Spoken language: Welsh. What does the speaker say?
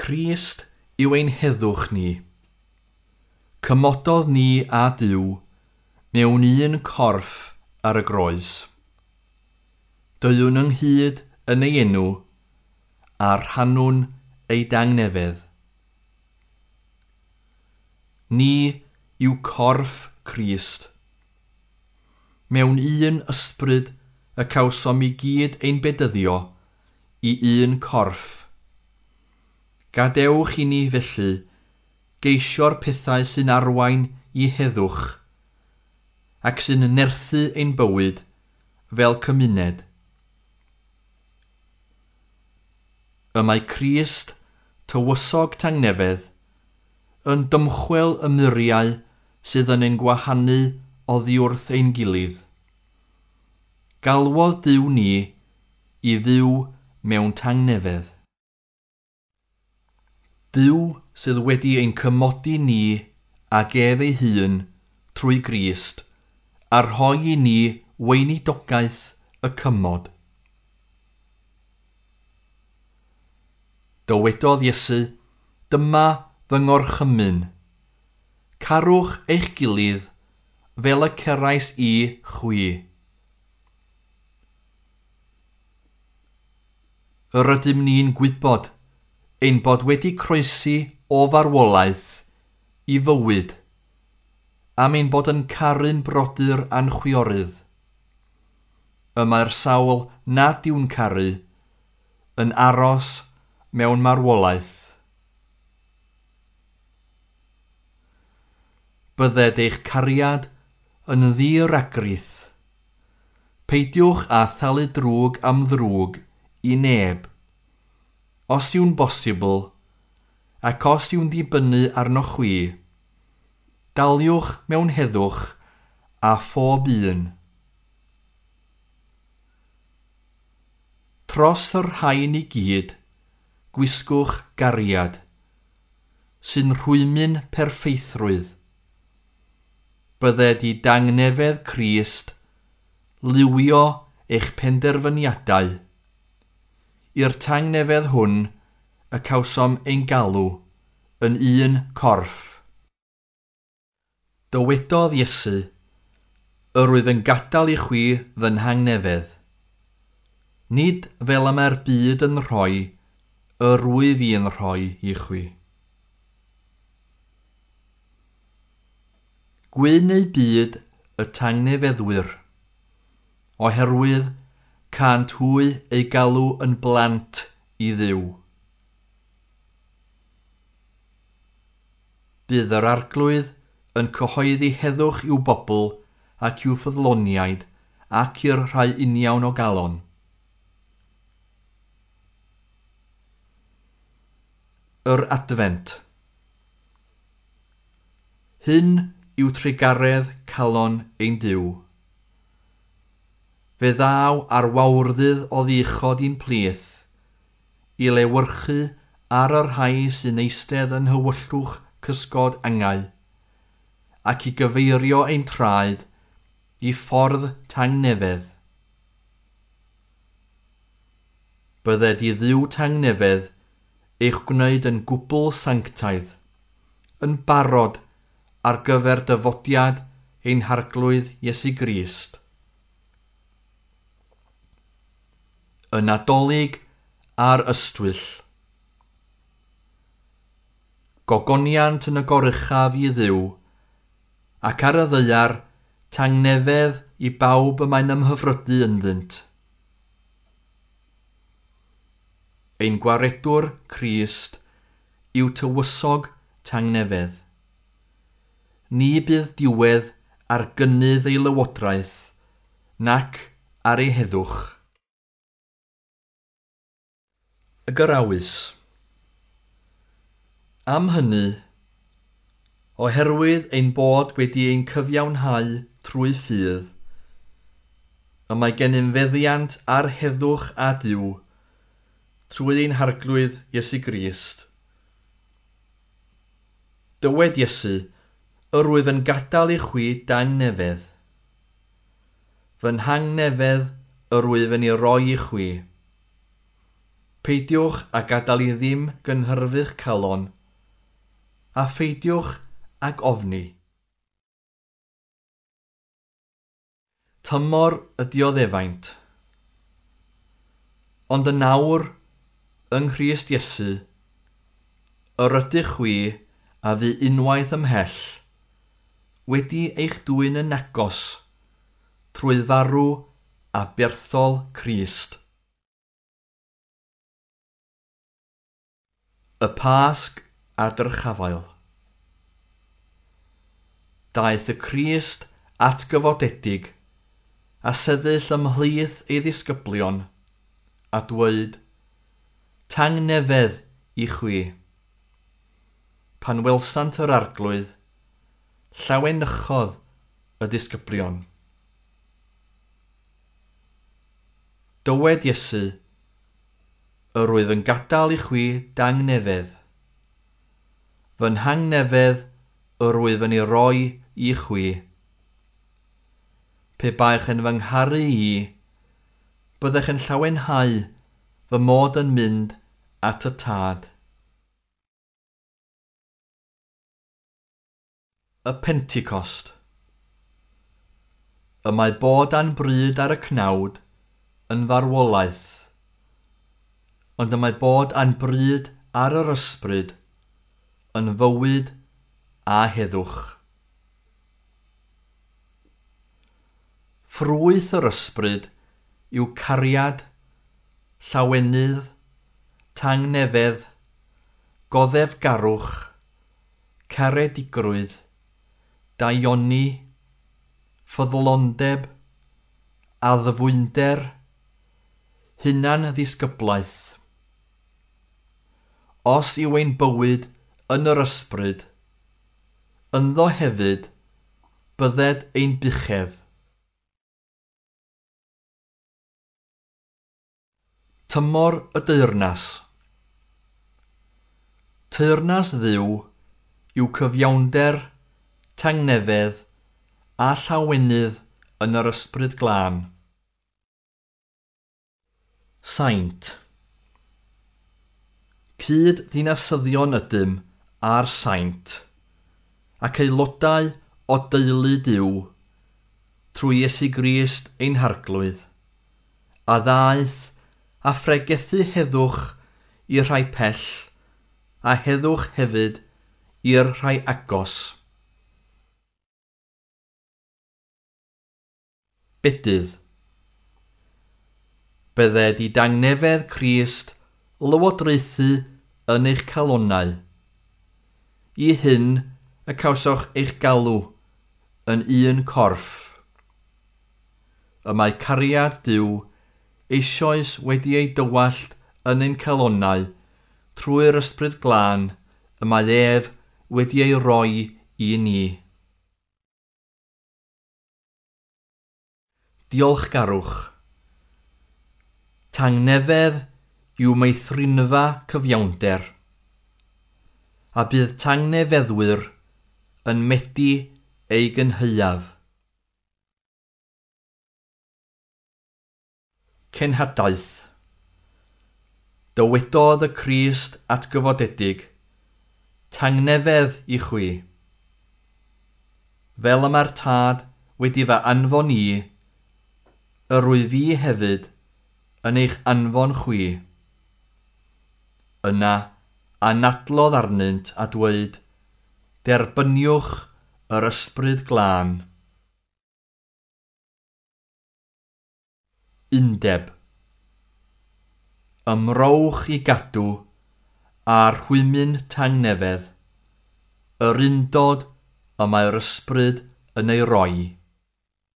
Crist yw ein heddwch ni. Cymododd ni a Duw mewn un corff ar y groes. Deuwn ynghyd yn ei enw a rhannwn ei dangnefedd. Ni yw corff Crist. Mewn un ysbryd y cawsom i gyd ein bedyddio i un corff. Gadewch i ni felly geisio'r pethau sy'n arwain i heddwch ac sy'n nerthu ein bywyd fel cymuned. Y mae Crist, tywysog tangnefedd, yn dymchwel y muriau sydd yn ein gwahanu oddi wrth ein gilydd. Galwodd Duw ni i fyw mewn tangnefedd. Duw sydd wedi ein cymodi ni ag ef ei hun trwy Grist a rhoi i ni weinidogaeth y cymod. Dywedodd Iesu, dyma fy ngorchymyn. Carwch eich gilydd fel y cerais i chwi. Yr ydym ni'n gwybod ein bod wedi croesi o farwolaeth i fywyd, am ein bod yn caru'n brodyr a'n chwiorydd. Y mae'r sawl nad yw'n caru yn aros mewn marwolaeth. Bydded eich cariad yn ddi-ragrith. Peidiwch â thalu drwg am ddrwg i neb. Os yw'n bosibl, ac os yw'n dibynnu arnoch chwi, daliwch mewn heddwch a phob un. Tros y rhain i gyd, gwisgwch gariad, sy'n rhwymyn perffeithrwydd. Bydded i dangnefedd Crist liwio eich penderfyniadau. I'r tangnefedd hwn y cawsom ein galw yn un corff. Dywedodd Iesu, yr wyf yn gadael i chwi fy nhangnefedd. Nid fel y mae'r byd yn rhoi, yr wyf i'n rhoi i chwi. Gwyn eu byd y tangnefeddwyr, oherwydd cant hwy eu galw yn blant i Dduw. Bydd yr Arglwydd yn cyhoeddi heddwch i'w bobl ac i'w ffyddloniaid ac i'r rhai uniawn o galon. Yr Adfent. Hyn yw trugaredd calon ein Duw. Fe ddaw ar wawrddydd o ddichod i'n plith, i lewyrchu ar y rhai sy'n eistedd yn nhywyllwch cysgod angau, ac i gyfeirio ein traed i ffordd tangnefedd. Bydded i Dduw tangnefedd eich gwneud yn gwbl sanctaidd, yn barod ar gyfer dyfodiad ein Harglwydd Iesu Grist. Y Nadolig a'r Ystwyll. Gogoniant yn y goruchaf i Dduw, ac ar y ddaear tangnefedd i bawb y mae'n ymhyfrydu ynddynt. Ein gwaredwr Crist yw tywysog tangnefedd. Ni bydd diwedd ar gynnydd ei lywodraeth, nac ar ei heddwch. Y Gyrawys. Am hynny, oherwydd ein bod wedi ein cyfiawnhau trwy ffydd, y mae gennym feddiant ar heddwch a Duw, trwy ein Harglwydd Iesu Grist. Dywed Iesu, yr wyf yn gadael i chwi dangnefedd. Fy nhangnefedd yr wyf yn ei roi i chwi. Peidiwch a gadael i ddim gynhyrfu'ch calon, a pheidiwch ag ofni. Tymor y dioddefaint. Ond yn awr, yng Nghrist Iesu, yr ydych chwi a fu unwaith ymhell, wedi eich dwyn yn agos, trwy farw a berthol Crist. Y Pasg a Dyrchafael. Daeth y Crist atgyfodedig a sefyll ymhlith ei ddisgyblion a dweud, "Tangnefedd i chwi." Pan welsant yr Arglwydd, llawenychodd y disgyblion. Dywed Iesu, "Yr wyf yn gadael i chwi dangnefedd. Fy nhangnefedd yr wyf yn ei roi i chwi. Pe baech yn fy ngharu i, byddech yn llawenhau fy mod yn mynd at y Tad." Y Pentecost. Y mae bod a'n bryd ar y cnawd yn farwolaeth, ond y mae bod a'n bryd ar yr ysbryd yn fywyd a heddwch. Ffrwyth yr ysbryd yw cariad, llawenydd, tangnefedd, goddefgarwch, caredigrwydd, daioni, ffyddlondeb, addfwynder, hunan-ddisgyblaeth. Os yw ein bywyd yn yr ysbryd, ynddo hefyd bydded ein buchedd. Tymor y Deyrnas. Teyrnas Dduw yw cyfiawnder, tangnefedd a llawenydd yn yr ysbryd glân. Saint. Cyd ddinasyddion ydym a'r saint, ac aelodau o deulu Duw, trwy Iesu Grist ein Harglwydd, a ddaeth a phregethu heddwch i'r rhai pell, a heddwch hefyd i'r rhai agos. Bedydd. Bydded i dangnefedd Crist lywodraethu yn eich calonnau. I hyn y cawsoch eich galw yn un corff. Y mae cariad Duw eisoes wedi ei dywallt yn ein calonnau trwy'r ysbryd glân y mae ef wedi ei roi i ni. Diolchgarwch. Tangnefedd yw meithrinfa cyfiawnder, a bydd tangnefeddwyr yn medi ei gynhaeaf. Cenhadaeth. Dywedodd y Crist atgyfodedig, "Tangnefedd i chwi. Fel y mae'r Tad wedi fy anfon i, yr wyf fi hefyd yn eich anfon chwi." Yna anadlodd arnynt a dweud, "Derbyniwch yr ysbryd glân." Undeb. Ymrowch i gadw a'r rhwymyn tangnefedd, yr undod y mae'r ysbryd yn ei roi.